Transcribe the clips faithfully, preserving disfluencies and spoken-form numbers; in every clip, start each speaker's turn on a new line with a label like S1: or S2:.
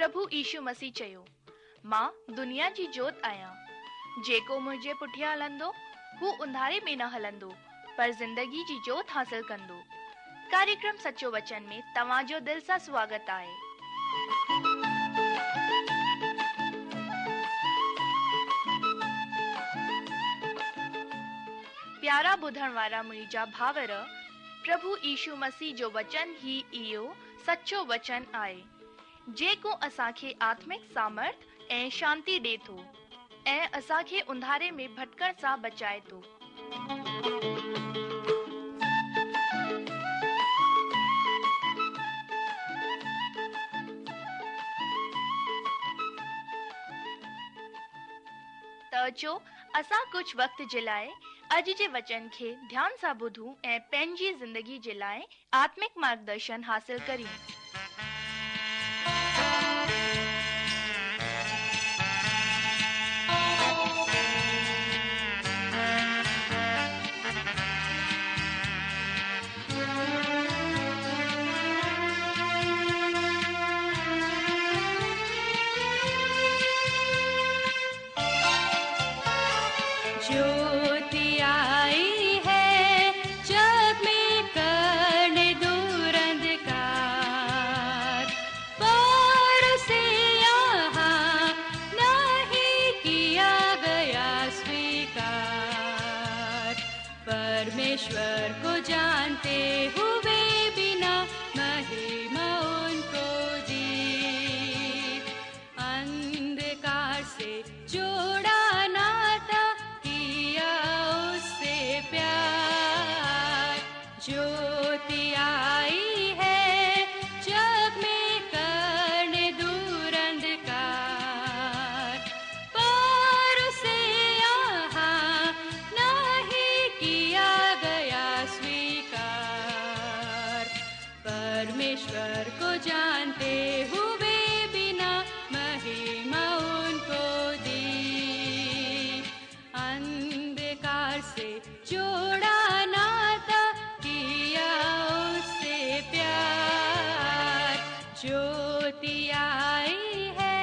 S1: پرڀو يشو مسيح چيو، مان دنيا جي جوت آهيان. جيڪو منهنجي پٺيان هلندو، هو انڌاري ۾ نه هلندو، پر زندگي جي جوت حاصل ڪندو. ڪاريڪرم سچو وچن ۾ توهان جو دل سان سواگت آهي. پيارا ٻڌڻ وارا منهنجا ڀائر، پرڀو يشو مسيح جو وچن ئي اهو سچو وچن آهي، جيڪو اسان کي آتمڪ سامرٿ ۽ شانتي ڏي ٿو ۽ اسان کي انڌاري ۾ ڀٽڪڻ سان بچائي ٿو. ته اچو اسان ڪجهه وقت جي لاء اڄ جي وچن کي ڌيان سان ٻڌون ۽ پنهنجي زندگي جي لاء آتمڪ مارگدرشن حاصل ڪريون.
S2: ज्योति आई है जग में करने दूर अंधकार, पर उसे यहाँ नहीं किया गया स्वीकार। परमेश्वर को जानते हुए बिना महिमा उनको दी, अंधकार से जोड़ा नाता किया उससे प्यार। ज्योति आई है जग में करने दूर अंधकार, पर उसे यहाँ नहीं किया गया स्वीकार। परमेश्वर को जानते हुए बिना महिमा उनको दी, अंधकार से जोड़ा नाता किया उससे प्यार। ज्योति आई है।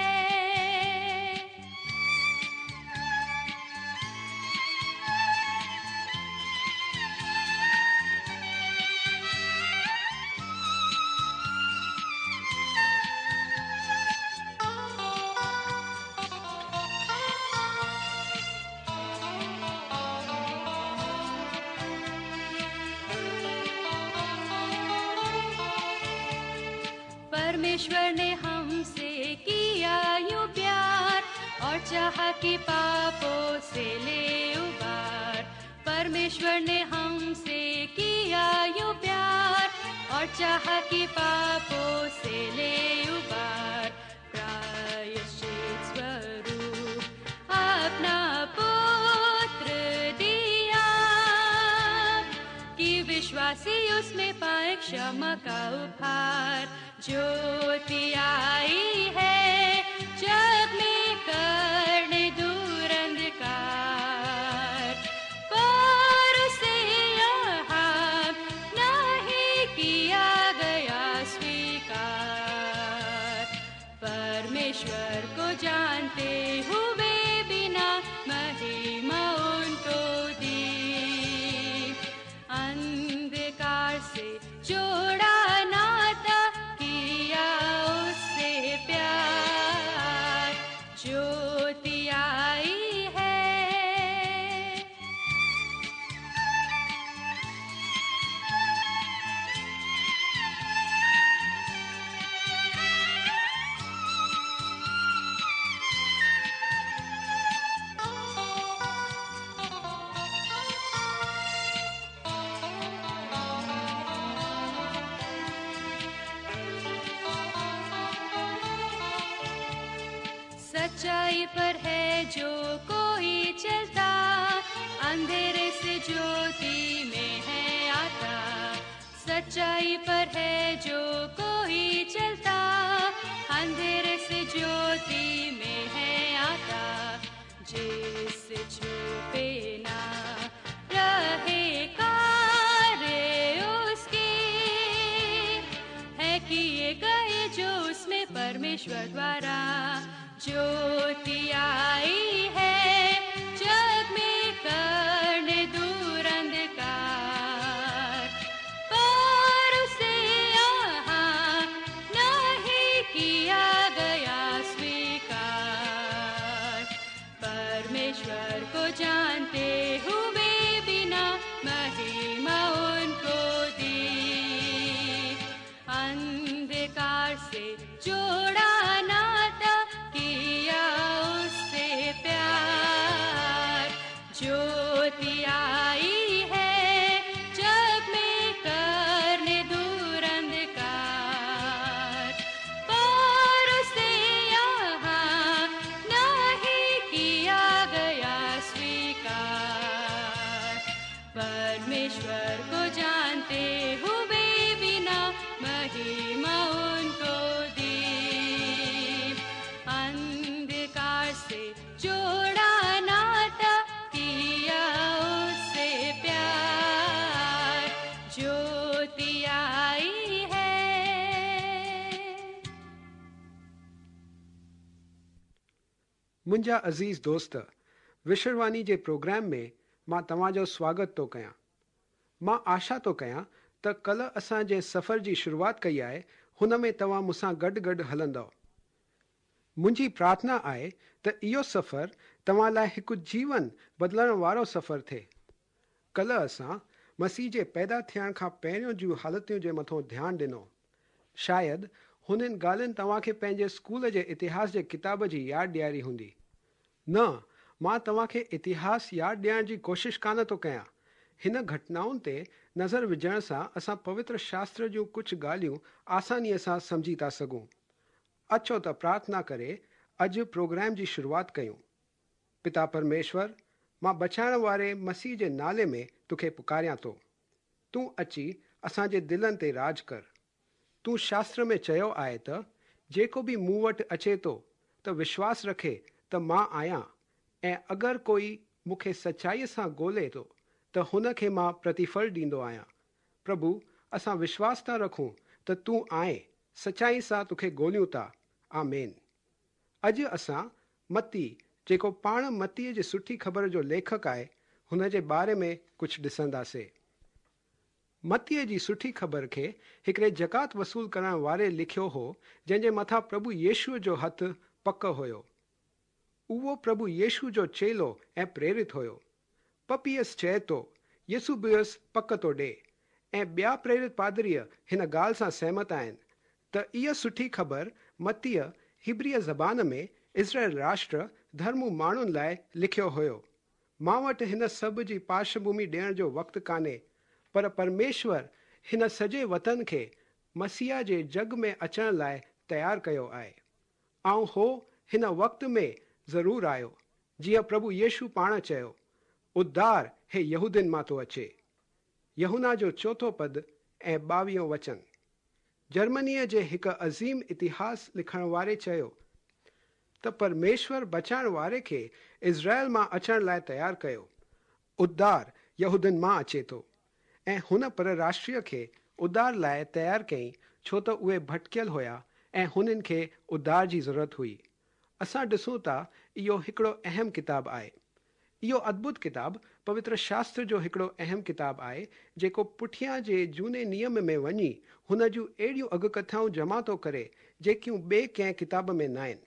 S2: परमेश्वर ने हमसे किया यूं प्यार, और चाहा कि पापों से ले उबार। परमेश्वर ने हमसे किया यूं प्यार, और चाहा कि पापों से ले उबार। प्रायश्चित स्वरूप अपना पुत्र दिया, कि विश्वासी उसमें पाए क्षमा का उपहार। ज्योति आई है जग में करने दूर अंधकार, पर उसे यहाँ नहीं किया गया स्वीकार। परमेश्वर को जानते हुए बिना महिमा उनको दी, अंधकार से जोड़ा नाता किया उससे प्यार। ज्योति आई है। सच्चाई पर है जो कोई चलता, अंधेरे से ज्योति में है आता। सच्चाई पर है जो कोई चलता, अंधेरे से ज्योति में है आता। जिससे छुपे ना रहे कार्य उसके, है किए गए जो उसमें परमेश्वर द्वारा। ज्योति आई है जग में करने दूर अंधकार, पर उसे यहाँ नहीं किया गया स्वीकार। परमेश्वर को जानते हुए बिना महिमा उनको दी, अंधकार से जोड़ा नाता किया उससे प्यार। ज्योति आई है जग में करने दूर अंधकार, पर उसे यहाँ नहीं किया गया स्वीकार। परमेश्वर को जानते हुए बिना महिमा उनको दी, अंधकार से जोड़ा नाता किया उससे प्यार। ज्योति आई है।
S3: मुंहिंजा अज़ीज़ दोस्त, विश्ववाणी जे प्रोग्राम में मां तव्हांजो स्वागत थो कयां। मां आशा थो कयां त कल्ह असां जंहिं सफ़र जी शुरूआत कई आहे हुन में तव्हां मूंसां गॾु गॾु हलंदव। मुंहिंजी प्रार्थना आहे त इहो सफ़र तव्हां लाइ हिकु जीवन बदिलण वारो सफ़र थिए। कल्ह असां मसीह जे पैदा थियण खां पहिरियों जूं हालतियुनि जे मथां ध्यानु ॾिनो। शायदि हुननि ॻाल्हियुनि तव्हांखे पंहिंजे स्कूल जे इतिहास जे किताब जी यादि ॾियारी हूंदी। न, मां तव्हांखे इतिहास यादि ॾियण जी कोशिशि कान थो कयां। हिन घटनाउनि ते नज़र विझण सां असां पवित्र शास्त्र जूं कुझु ॻाल्हियूं आसानीअ सां सम्झी था सघूं। अचो त प्रार्थना करे अॼु प्रोग्राम जी शुरूआत कयूं। पिता परमेश्वर, मां बचाइण वारे मसीह जे नाले में तोखे पुकारियां थो। तूं अची असांजे दिलनि ते राज कर। तूं शास्त्र में चयो आहे त जेको बि मूं वटि अचे थो त विश्वास रखे त मां आहियां, ऐं अगरि कोई मूंखे सचाईअ सां ॻोल्हे थो त हुनखे मां प्रतिफल ॾींदो आहियां। प्रभु, असां विश्वास था रखूं त तूं आहे, सचाई सां तोखे ॻोल्हियूं था। आमेन। अॼु असां मत्ती, जेको पाण मत्तीअ जी सुठी ख़बर जो लेखक आहे, हुन जे बारे में कुझु ॾिसंदासीं। मत्तीअ जी सुठी ख़बर खे हिकिड़े ज़कात वसूल करण वारे लिखियो हो, जंहिंजे मथां प्रभु यीशुअ जो हथु पक हुयो। उहो प्रभु यीशु जो चेलो ऐं प्रेरित हुयो। पपियस चए थो, यसुबियस पक थो ॾे, ऐं ॿिया प्रेरित पादरीअ हिन ॻाल्हि सां सहमत आहिनि त इहा सुठी ख़बर मत्तीअ हिब्रिय ज़बान में इज़राइल राष्ट्र धर्मू माण्हुनि लाइ लिखियो हुयो। मां वटि हिन सभु जी पार्श्वभूमि ॾियण जो वक़्तु कान्हे, पर परमेश्वर हिन सॼे वतन खे मसीहा जे जग में अचण लाइ तयारु कयो आहे। ऐं हो हिन वक़्त में ज़रूरु आयो, जीअं प्रभु यीशु पाण चयो, उद्धार हे यहूदियुनि मां थो अचे। यहुना जो चोथों पद ऐं ॿावीहों वचन। जर्मनीअ जे हिकु अज़ीम इतिहास लिखण वारे चयो त परमेश्वर बचाइण वारे खे इज़राइल मां अचण लाइ तयारु कयो। उद्धार यहूदियुनि मां अचे थो, ऐं हुन पर राष्ट्रीय खे उद्धार लाइ तयारु कयईं, छो त उहे भटकियल हुया ऐं हुननि खे उद्धार जी ज़रूरत हुई। असां ॾिसूं था इहो हिकिड़ो अहम किताब आहे। इहो अद्भुत किताब पवित्र शास्त्र जो हिकिड़ो अहम किताब आहे, जेको पुठियां जे जूने नियम में वञी हुन जूं अहिड़ियूं अॻकथाऊं जमा थो करे जेकियूं ॿिए कंहिं किताब में न आहिनि।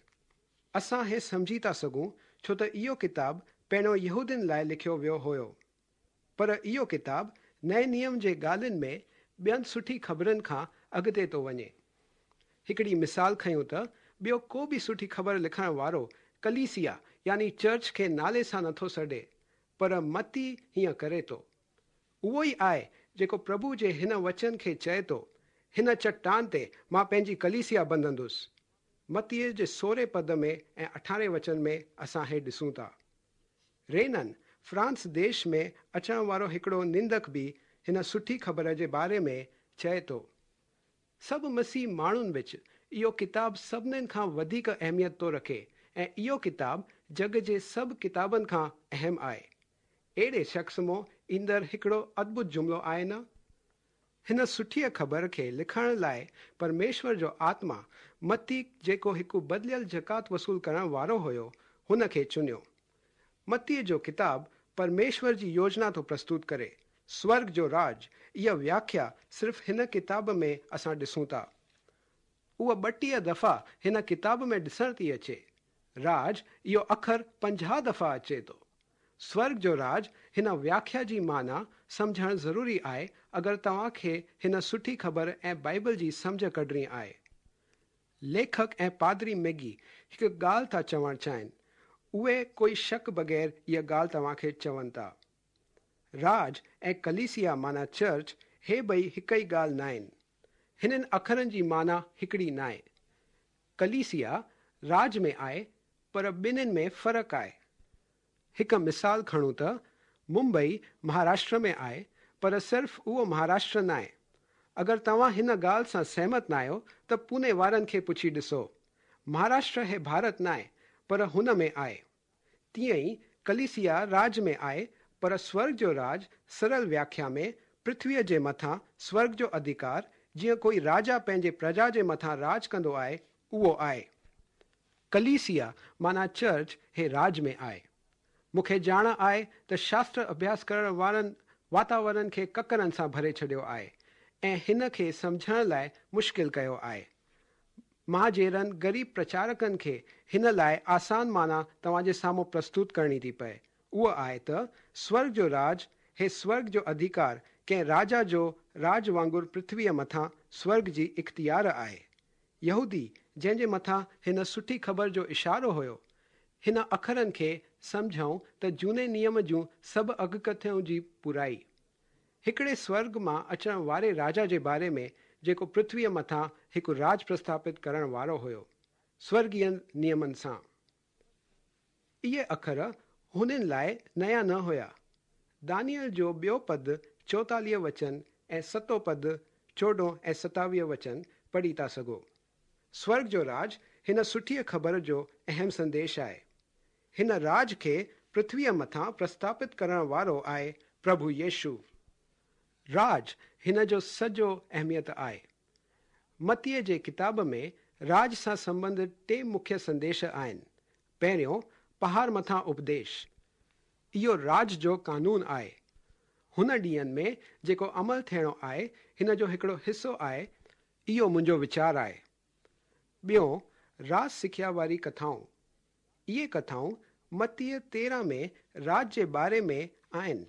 S3: असां हे सम्झी था सघूं, छो त इहो किताब पहिरियों यहूदियुनि लाइ लिखियो वियो हुयो, पर इहो किताब नए नियम जे ॻाल्हियुनि में ॿियनि सुठी ख़बरनि खां अॻिते थो वञे। हिकिड़ी मिसाल खयूं त ॿियो को बि सुठी ख़बर लिखण वारो कलीसिया यानी चर्च खे नाले सां नथो सॾे, पर मत्ती हीअं करे थो। उहो ई आहे जेको प्रभु जे हिन वचन खे चए थो, हिन चट्टान ते मां पंहिंजी कलीसिया बंधंदुसि। मत्तीअ जे सोरहें पद में ऐं अठारहें वचन में असां हे ॾिसूं था। रेनन फ्रांस देश में अचण वारो हिकिड़ो निंदक बि हिन सुठी ख़बर जे बारे में चए थो, सभु मसीह माण्हुनि विच इहो किताब सभिनीनि खां वधीक अहमियत थो रखे ऐं इहो किताब जग जे सभु किताबनि खां अहम आहे। अहिड़े शख़्स मां ईंदड़ हिकिड़ो अद्भुत जुमिलो आहे न। هن سٺيء خبر کي لکڻ لاءِ پرميشور جو آتما متي جيڪو هڪ بدليل زڪوات وصول ڪرڻ وارو هيو هن کي چنيو. متيءَ جو ڪتاب پرميشور جي يوجنا ٿو پرستت ڪري. سورڳ جو راڄ اها وياکيا صرف هن ڪتاب ۾ اسان ڏسون ٿا. اها ٻٽيهه دفعا هن ڪتاب ۾ ڏسڻ ٿي اچي. راڄ اهو اکر پنجاهه دفعا اچي ٿو. سورڳ جو راڄ هن وياکيا جي معنيٰ سمجهڻ ضروري آهي اگر توهان کي هن سٺي خبر ۽ بائيبل جي سمجهه ڪڍڻي آهي. ليکڪ ۽ پادري ميگي هڪ ڳالهه ٿا چوڻ چاهين. اهي ڪوئي شڪ بغير اها ڳالهه توهان کي چون ٿا. راڄ ۽ ڪليسيا معنيٰ چرچ هي ٻئي هڪ ئي ڳالهه ناهن. هنن اکرن جي معنيٰ هڪڙي ناهي. ڪليسيا راڄ ۾ آهي پر ٻنهين ۾ فرق آهي. هڪ مثال کڻون ته ممبئي مهاراشٽر ۾ آهي پر صرف اهو مهاراشٽر ناهي. اگر توهان هن ڳالهه سان سهمت ناهيو ته پوني وارن کي پڇي ڏسو. مهاراشٽر هي ڀارت ناهي پر هن ۾ آهي. تيئن ئي ڪليسيا راڄ ۾ آهي پر سورڳ جو راڄ سرل وياکيا ۾ پرٿويءَ جي مٿان سورڳ جو اڌڪار جيئن ڪوئي راجا پنهنجي پرجا جي مٿان راڄ ڪندو آهي اهو آهي. ڪليسيا معنيٰ چرچ هي راڄ ۾ آهي. مون کي ڄاڻ آهي ته شاستر اڀياس ڪرڻ وارن واتاورڻ کي ڪڪرن سان ڀري ڇڏيو آهي ۽ هن کي سمجهڻ لاءِ مشڪل ڪيو آهي. مان جهڙن غريب پرچارڪن کي هن لاءِ آسان معنيٰ توهان جي سامهون پرستت ڪرڻي ٿي پئي. اهو آهي ته سورڳ جو راڄ هي سورڳ جو اڌڪار ڪنهن راجا جو راڄ وانگر پرٿويءَ مٿان سورڳ جي اختيار آهي. يهودي جنهن جي مٿان هن سٺي خبر جو اشارو هيو هن اکرن کي سمجهون ته جهوني نيم جون سڀ اڳڪٿيون جي پورائي. هڪڙي سورڳ مان اچڻ واري راجا جي باري ۾ جيڪو پرٿويءَ مٿان هڪ راڄ پرسٿاپت ڪرڻ وارو هيو سورڳيه نيمن سان. اهي اکر هنن لاءِ نيا نه هيا. دانيئل جو ٻيو پد چوئيتاليهه وچن ۽ ستون پد چوڏهن ۽ ستاويهه وچن پڙهي ٿا سگهو. سورڳ جو راڄ هن سٺيءَ خبر جو اهم سنديش آهي. هن راڄ کي پرٿويءَ مٿان پرسٿاپت ڪرڻ وارو آهي پرڀو يشو. راڄ هن جو سڄو اهميت آهي. متيءَ جي ڪتاب ۾ راڄ سان سنبنڌت ٽي مکيه سنديش آهن. پهريون پهاڙ مٿان اپديش. اهو راڄ جو قانون آهي. هن ڏينهن ۾ جيڪو عمل ٿيڻو آهي هن جو هڪڙو حصو آهي. اهو منهنجو ويچار آهي. ٻيو راڄ سکيا واري ڪٿائون. اهي ڪٿائون متيءَ تيرهن ۾ راڄ جي باري ۾ آهن.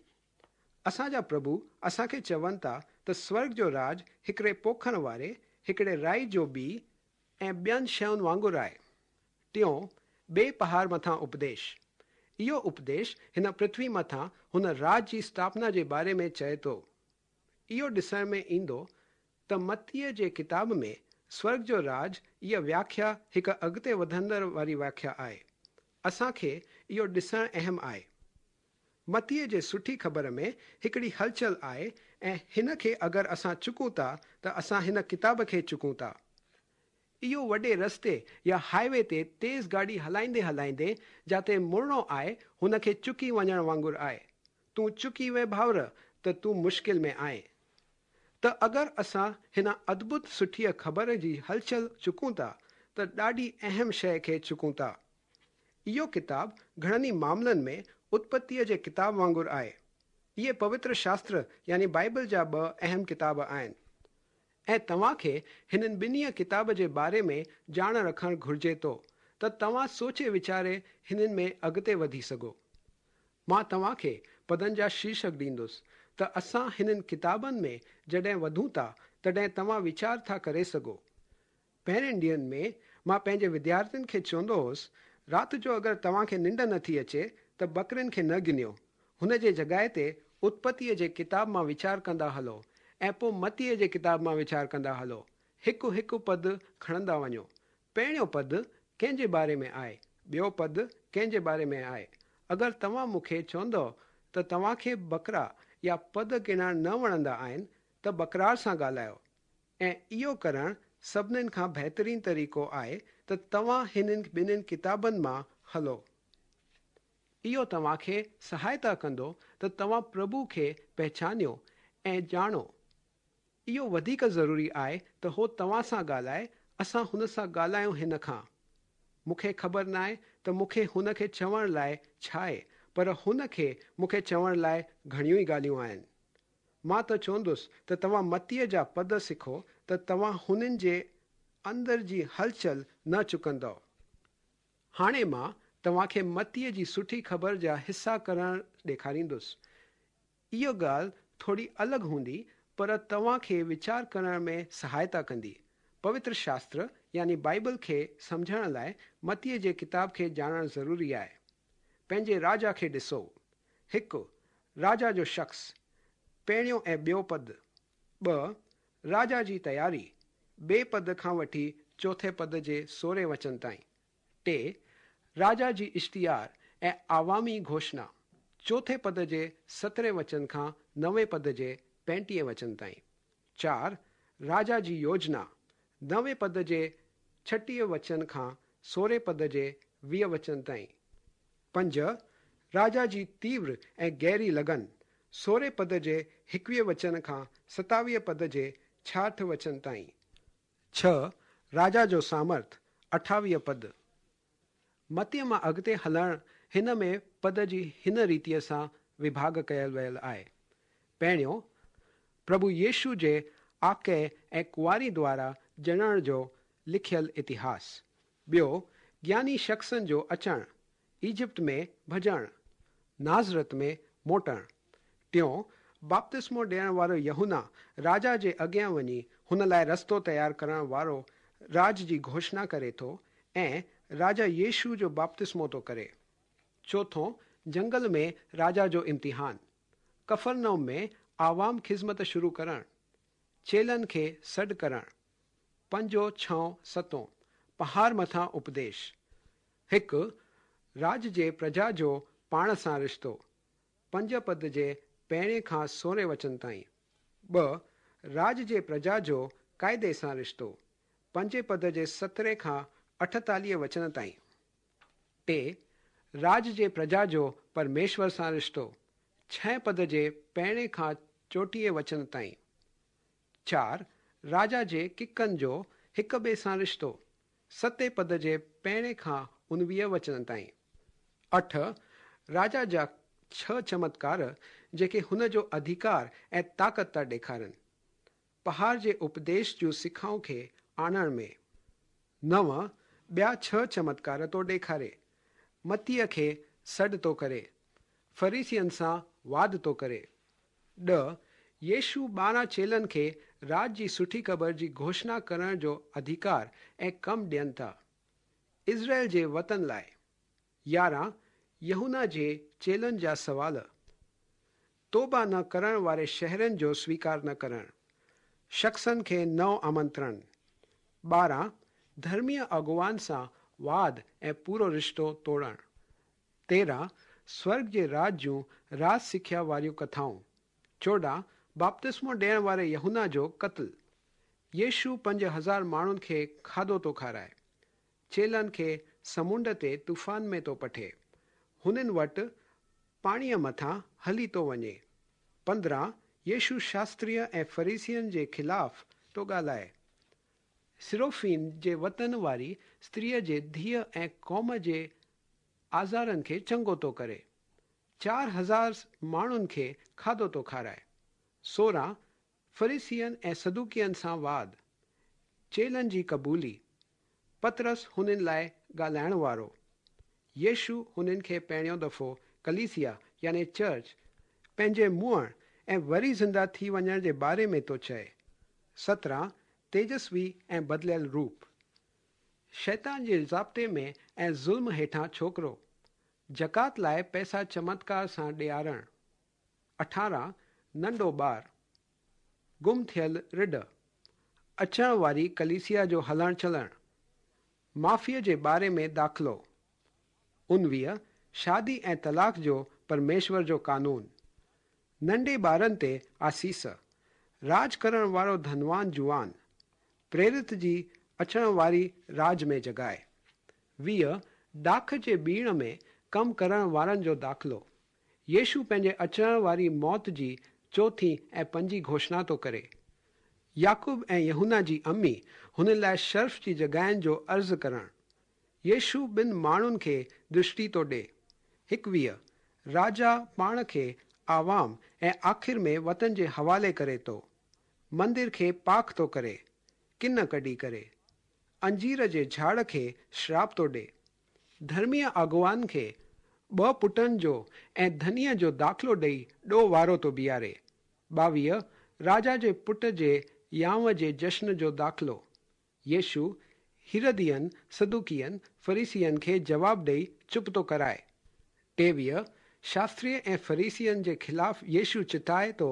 S3: اسان جا پرڀو اسان کي چون ٿا ته سورڳ جو راڄ هڪڙي پوکڻ واري هڪڙي رائي جو ٻي ۽ ٻين شين وانگر آهي. ٽيون ٻئي پهاڙ مٿان اپديش. اهو اپديش هن پرٿوي مٿان هن راڄ جي اسٿاپنا جي باري ۾ چئي ٿو. اهو ڏسڻ ۾ ايندو ته متيءَ جي ڪتاب ۾ سورڳ جو راڄ اها وياکيا هڪ اڳتي وڌندڙ واري وياکيا آهي. اسان کي اهو ڏسڻ اهم آهي. متيءَ جي سٺي خبر ۾ هڪڙي هلچل آهي ۽ هن کي اگر اسان چڪون ٿا ته اسان هن ڪتاب کي چڪون ٿا. اهو وڏي رستي يا هاءِ وي تي تيز گاڏي هلائيندي هلائيندي جاتي مڙڻو آهي هن کي چڪي وڃڻ وانگر آهي. تون چڪي وئي ڀائر ته تون مشڪل ۾ آهين. ته اگر اسان هن ادڀت سٺيءَ خبر جي هلچل چڪون ٿا ته ڏاڍي اهم شيءِ کي چڪون ٿا. اهو ڪتاب گهڻن ئي معاملن ۾ اتپتيءَ جي ڪتاب وانگر آهي. اهي پوتر شاستر يعني بائيبل جا ٻه اهم ڪتاب آهن ۽ توهان کي هنن ٻنهي ڪتاب جي باري ۾ ڄاڻ رکڻ گهرجي ٿو ته توهان سوچي ويچاري هنن ۾ اڳتي وڌي سگهو. مان توهان کي پدن جا شيرشڪ ڏيندس ته اسان هنن ڪتابن ۾ جڏهن وڌون ٿا تڏهن توهان ويچار ٿا ڪري سگهو. پهرين ڏينهن ۾ مان پنهنجي وديارٿين کي چوندو هوس رات جو اگر توهان کي ننڊ نٿي اچي ته ٻڪرين کي نه ڳڻيو. هن جي جڳهه تي اتپتيءَ جي ڪتاب مان ويچار ڪندا هلو ۽ پوءِ متيءَ جي ڪتاب مان ويچار ڪندا هلو. هڪ هڪ پد کڻندا وڃو. پهريون پد ڪنهن جي باري ۾ آهي، ٻيو پد ڪنهن جي باري ۾ آهي. اگر توهان مون کي چوندؤ ته توهان کي ٻڪرا يا پد ڳڻڻ نه وڻندا آهن ته ٻڪرار سان ڳالهايو ۽ اهو ڪرڻ سڀنين کان بهترين طريقو آهي ته توهان هنن ٻنهين ڪتابن مان هلو. اهو توهان کي سهائتا ڪندو ته توهان پرڀو کي پهچانيو ۽ ڄاڻو. اهو وڌيڪ ضروري آهي ته هو توهان سان ڳالهائي، اسان هن سان ڳالهايون هن کان. مون کي خبر ناهي ته مون کي هن کي چوڻ لاءِ ڇا آهي، پر هن کي مون کي چوڻ لاءِ گهڻيون ئي ڳالهيون آهن. مان ته چوندس ته توهان متيءَ جا پد سکو ته توهان هنن جي اندر جي هلچل نه چڪندؤ. هاڻي مان توهان کي متيءَ جي سٺي خبر جا حصا ڪرڻ ڏيکاريندس. اها ڳالهه ٿوري الڳ هوندي، پر توهان کي ويچار ڪرڻ ۾ سهائتا ڪندي. پوتر شاستر يعني بائيبل کي سمجهڻ لاءِ متيءَ جي ڪتاب کي ڄاڻڻ ضروري آهي. پنهنجي راجا کي ڏسو. هڪ، راجا جو شخص، پهريون ۽ ٻيو پد. ٻه، راجا جي تياري، ٻئي پد کان وٺي چوٿين پد جي سورهين وچن تائين. ٽي، راجا جي اشتهار ۽ عوامي گهوشڻا، چوٿين پد جي سترهين وچن کان نوين پد جي پنجٽيهه وچن تائين. چار، راجا جي يوجنا، نوين پد جي ڇٽيهه وچن کان سورهين پد جي ويهه وچن تائين. پنج، راجا جي تيور ۽ گهري لگن، سورهين پد جي ايڪويهه وچن کان ستاويهه پد جي ڇاهٺ وچن تائين. ڇهه، راجا جو سامرٿ، اٺاويهه پد. متيءَ مان اڳتي هلڻ هن ۾ پد جي هن ريتيءَ سان وڀاڳ ڪيل ويل آهي. پهريون، پرڀو يشو جي آڪي ۽ ڪنواري دوارا ڄڻڻ جو لکيل اتهاس. ٻيو، گياني شخصن جو اچڻ، ايجپٽ ۾ ڀڄڻ، نازرت ۾ موٽڻ. ٽيون، باپتسمو ڏيڻ وارو يوحنا راجا جي اڳيان وڃي هن لاءِ رستو تيار ڪرڻ وارو راج جي گهوشڻا ڪري ٿو ۽ راجا يشو جو باپتسمو ٿو ڪري. چوٿون، جنگل ۾ راجا جو امتحان، ڪفرنوم ۾ عوام خدمت شروع ڪرڻ، چيلن کي سڏ ڪرڻ. پنجون، ڇهون، ستون، پهاڙ مٿان اپديش. هڪ، راج جي پرجا جو پاڻ سان رشتو، پنج پد جي پهرين کان سورهين وچن تائين. ٻه، راج جي پرجا جو قاعدي سان رشتو، پنجين پد جي سترهين کان اٺيتاليهه وچن تائين. ٽي، راج جي پرجا جو پرميشور سان رشتو، ڇهين پد جي پهرين کان چوٽيهه وچن تائين. چار، راجا جي ڪڪن جو هڪ ٻئي سان رشتو، ستين پد جي پهرين کان اڻويهه وچن تائين. اٺ، راجا جا ڇهه چمتڪار جيڪي هن جو اڌڪار ۽ طاقت ٿا ڏيکارن، پهاڙ جي اپديش جون سکائون کي آڻڻ ۾. نو، ٻيا ڇهه چمتڪار ٿو ڏيکاري، متيءَ کي سڏ ٿو ڪري، فريسين سان واد ٿو ڪري. ڏهه، يشو ٻارهن چيلن کي راج جي سٺي خبر جي گهوشڻا ڪرڻ جو اڌڪار ۽ ڪم ڏين ٿا، اسرائيل جي وطن لاءِ. يارهن، يوحنا جي چيلن جا سوال، توبه نه ڪرڻ واري شهرن جو سويڪار نه ڪرڻ، شخصن کي نئون آمنترڻ. ٻارهن، ڌرميه اڳواڻ سان واد ۽ پورو رشتو ٽوڙڻ. تيرهن، سورڳ جي راج جون راج سکيا واريون ڪٿائون. چوڏهن، باپتسمو ڏيڻ واري يوحنا جو قتل. يشو پنج هزار ماڻهن کي کاڌو ٿو کارائي، چيلن کي سمنڊ تي طوفان ۾ ٿو پٺي، هنن وٽ پاڻيءَ مٿان هلي ٿو وڃي. پندرهن، يشو شاستريه ۽ فريسين جي خلاف ٿو ڳالهائي. سروفين جي وطن واري استريءَ جي ڌيءَ ۽ قوم جي آزارن کي چڱو ٿو ڪري. چار هزار ماڻهن کي کاڌو ٿو کارائي. سورهن، فريسين ۽ صدوقين سان واد، چيلن جي قبولي، پطرس هنن لاءِ ڳالهائڻ وارو. يشو هنن کي پهريون دفعو ڪليسيا يعني چرچ پنهنجي مئڻ ۽ وري زنده ٿي وڃڻ جي باري ۾ ٿو چئي. سترهن، تيجسوي ۽ بدليل روپ، شيطان جي ضابطي ۾ ۽ ظلم هيٺان ڇوڪرو، زڪوات لاءِ پئسا چمتڪار سان ڏيارڻ. اٺارهن، ننڍو ٻار، گم ٿيل رڍ، اچڻ واري ڪليسيا جو هلڻ چلڻ، معافيءَ جي باري ۾ داخلو. اڻويهه، شادي ۽ طلاق جو پرميشور جو قانون، ننڍي ٻارن تي آسيس، راڄ ڪرڻ وارو ڌنوان جوان، پريرت جي اچڻ واري راڄ ۾ جڳائي. ويهه، ڊاک جي ٻيڻ ۾ ڪم ڪرڻ وارن جو داخلو. يشو پنهنجي اچڻ واري موت جي چوٿين ۽ پنجين گهوشڻا ٿو ڪري. يعقوب ऐं यहूना जी अम्मी हुन लाइ शर्फ़ जी जॻहियुनि जो अर्ज़ु करणु। यीशु ॿिनि माण्हुनि खे दृष्टि थो ॾे। एकवीह राजा पाण खे आवाम ऐं आख़िर में वतन जे हवाले करे थो। मंदिर खे पाक थो करे, किन कढी करे। अंजीर जे झाड़ खे श्राप थो ॾे। धर्मीय अॻुवान खे ॿ पुटनि जो ऐं धनीअ जो दाख़िलो ॾेई ॾो वारो थो बीहारे। ॿावीह राजा जे पुट जे यांव जे जश्न जो दाख़िलो। यीशु हिरदियनि, सदुकियनि, फरीसियनि खे जवाब ॾेई चुप थो कराए। टेवीह शास्त्रीय ऐं फरीसियनि जे ख़िलाफ़ यीशु चिताए थो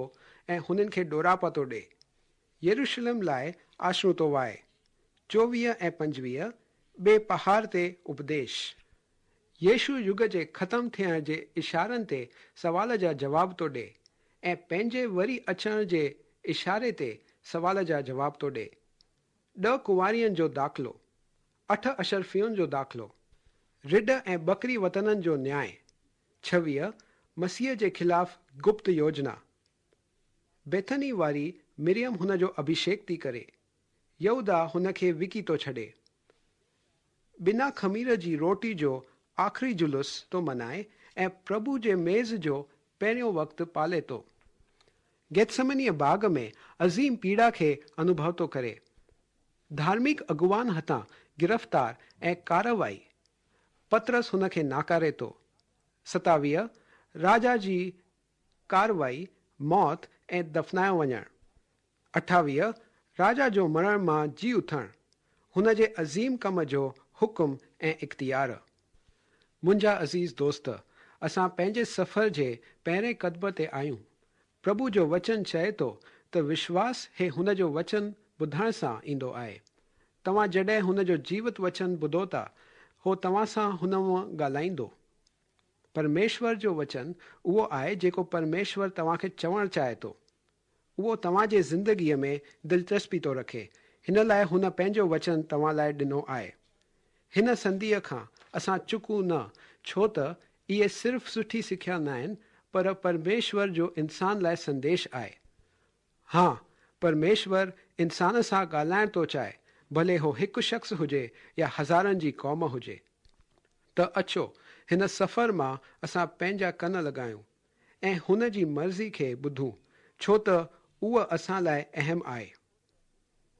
S3: ऐं हुननि खे ॾोरापा थो ॾे। यरूशलेम लाइ आशरू थो वाए। चोवीह ऐं पंजवीह ॿिए पहाड़ ते उपदेश। यीशु युग जे ख़तमु थियण जे इशारनि ते सवाल जा जवाब थो ॾे ऐं पंहिंजे वरी अचण जे इशारे ते सवाल जा जवाब थो ॾे। ॾह कुंवारियुनि जो दाख़िलो। अठ अशरफियुनि जो दाख़िलो। रिढ ऐं बकरी वतननि जो न्याय। छवीह मसीह जे ख़िलाफ़ गुप्त योजना। बेथनी वारी मिरियम हुन जो अभिषेक थी करे। यहूदा हुन खे विकी थो छॾे। बिना ख़मीर जी रोटी जो आख़िरी जुलूस थो मनाए ऐं प्रभु जे मेज़ जो पहिरियों वक़्तु पाले थो। गेथसमनीअ बाग़ में अज़ीम पीड़ा खे अनुभव थो करे। धार्मिक अॻुवान हथां गिरफ़्तार ऐं कार्रवाई। पतरस हुन खे नाकारे थो। सतावीह राजा जी कार्रवाई, मौत ऐं दफ़नायो वञणु। अठावीह राजा जो मरण मां जी उथणु, हुन जे अज़ीम कम जो हुकुम ऐं इख़्तियार। मुंहिंजा अज़ीज़ दोस्त, असां पंहिंजे सफ़र जे पहिरें कदम ते आहियूं। प्रभु जो वचन चए थो त विश्वास हे हुन जो वचन ॿुधण सां ईंदो आहे। तव्हां जॾहिं हुन जो जीवित वचन ॿुधो था, हो तव्हां सां हुन मां ॻाल्हाईंदो। परमेश्वर जो वचन उहो आहे जेको परमेश्वर तव्हांखे चवणु चाहे थो। उहो तव्हांजे ज़िंदगीअ में दिलचस्पी थो रखे। हिन लाइ हुन पंहिंजो वचन तव्हां लाइ ॾिनो आहे। हिन संधीअ खां असां चुकूं न, छो त इहे सिर्फ़ सुठी सिख्या न आहिनि, पर परमेश्वर जो इंसान लाइ संदेश आहे। हा, परमेश्वर इंसान सां ॻाल्हाइण थो चाहे, भले हो हिकु शख़्स हुजे या हज़ारनि जी क़ौम हुजे। त अचो हिन सफ़र मां असां पंहिंजा कन लॻायूं ऐं हुन जी मर्ज़ी खे ॿुधूं, छो त उहो असां लाइ अहम आहे।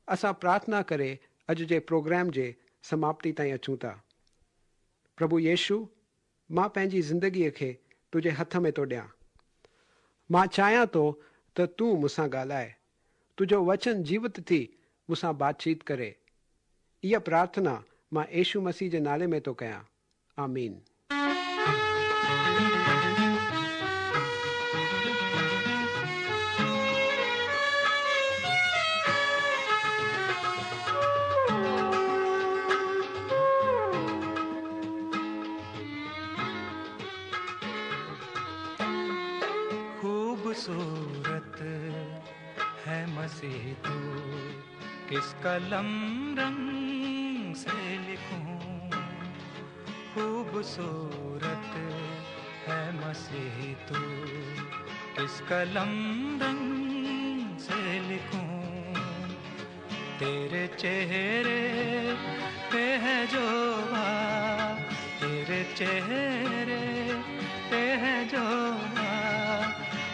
S3: असां प्रार्थना करे अॼु जे प्रोग्राम जे समाप्ति ताईं अचूं था। प्रभु यीशु, मां पंहिंजी ज़िंदगीअ खे तुंहिंजे हथ में थो ॾियां। मां चाहियां थो त तूं मूंसां ॻाल्हाए, तुंहिंजो वचन जीवित थी मूंसां बातचीत करे। इहा प्रार्थना मां यीशु मसीह जे नाले में थो कयां। आमीन।
S4: खूबसूरत है मसीह तू, किस कलम रंग से लिखूं। खूबसूरत है मसीह तू, किस कलम रंग से लिखूं। तेरे चेहरे पे है जो तेरे चेहरे पे है जो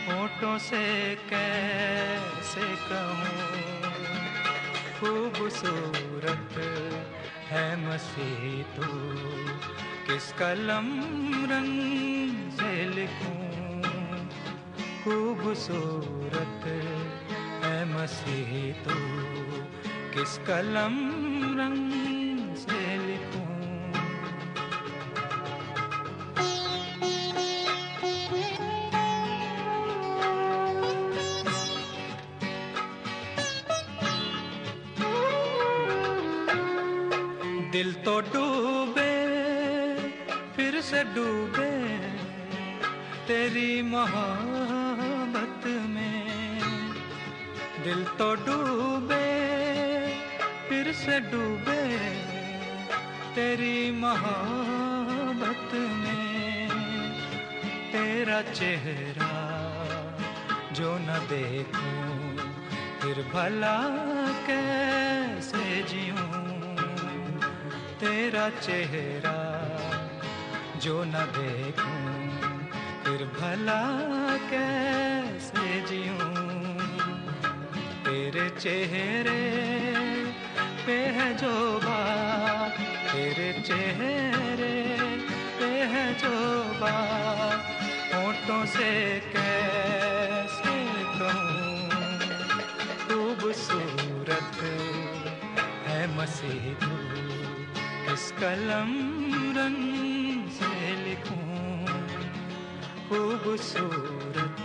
S4: होठों से कैसे कहूँ। खूबसूरत है मसीह तू, किस कलम रंग से लिखूं। खूबसूरत है मसीह तू, किस कलम रंग से लिखूं। दिल तो डूबे फिर से डूबे तेरी मोहब्बत में। दिल तो डूबे फिर से डूबे तेरी मोहब्बत में। तेरा चेहरा जो न देखूं, फिर भला कैसे जीऊं। तेरा चेहरा जो न देखूं फिर भला कैसे जीऊं। तेरे चेहरे पे है जो बात, तेरे चेहरे पे है जो बात, होठों से कैसे कहूँ। खूबसूरत है मसीह तू, किस कलम रंग से लिखूं। खूबसूरत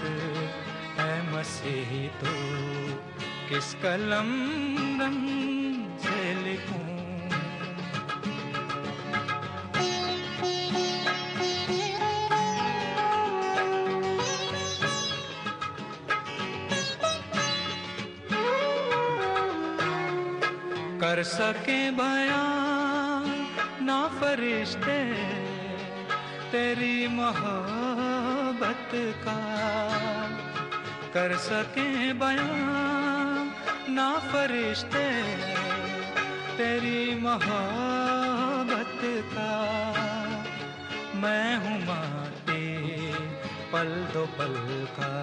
S4: है मसीह तू, किस कलम रंग से लिखूं। कर सके बयां ना फरिश्ते तेरी मोहब्बत का, कर सके बयां ना फरिश्ते तेरी मोहब्बत का। मैं हूँ माटी पल दो पल का,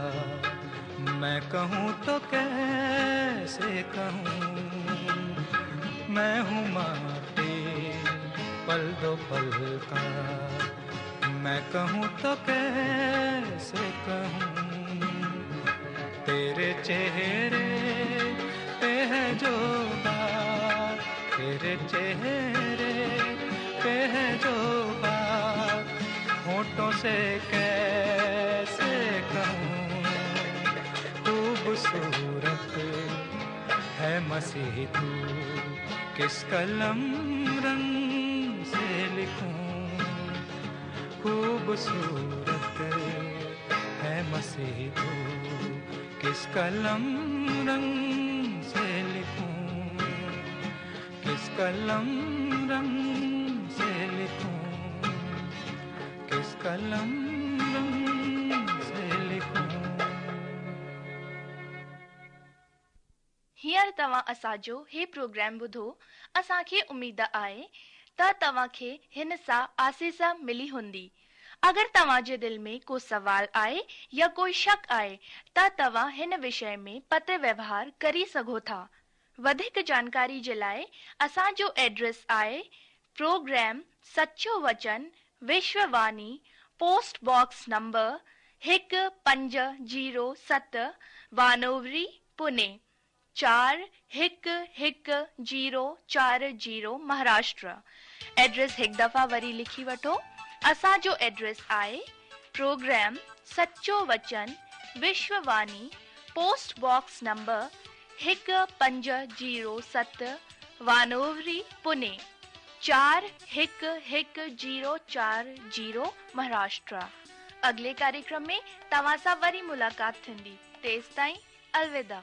S4: मैं कहूँ तो कैसे कहूँ। मैं हूँ माटी पल दो पल का, मैं कहूँ तो कैसे कहूँ। तेरे चेहरे पे है जो बात, तेरे चेहरे पे है जो बात, होठों से कैसे कहूँ। खूबसूरत है मसीह तू, किस कलम रंग से लिखूं। खूबसूरत है मसीह तू, किस कलम रंग से लिखूं। किस कलम रंग से लिखूं, किस कलम रंग से लिखूं।
S1: हींअर तव्हां असांजो हे प्रोग्राम ॿुधो। असांखे उमेद आहे त तव्हांखे हिन सां आसीस मिली हूंदी। अगरि तव्हांजे दिलि में को सवाल आहे या कोई शक आहे त तव्हां हिन विषय में पत्र व्यवहार करी सघो था। वधीक जानकारी जे लाइ असांजो एड्रेस आहे प्रोग्राम सचो वचन विश्ववाणी, पोस्ट बॉक्स नंबर हिकु पंज ज़ीरो सत, वानोवरी, पुणे चार हिकु हिकु ज़ीरो चार ज़ीरो, महाराष्ट्र। एड्रेस हिकु दफ़ा वरी लिखी वठो। असांजो एड्रेस आहे प्रोग्राम सचो वचन विश्ववाणी, पोस्ट बॉक्स नंबर हिकु पंज ज़ीरो सत, वानोवरी, पुणे चार हिकु हिकु ज़ीरो चार ज़ीरो, महाराष्ट्र। अगले कार्यक्रम में तव्हां सां वरी मुलाक़ात थींदी। तेसिताईं अलविदा।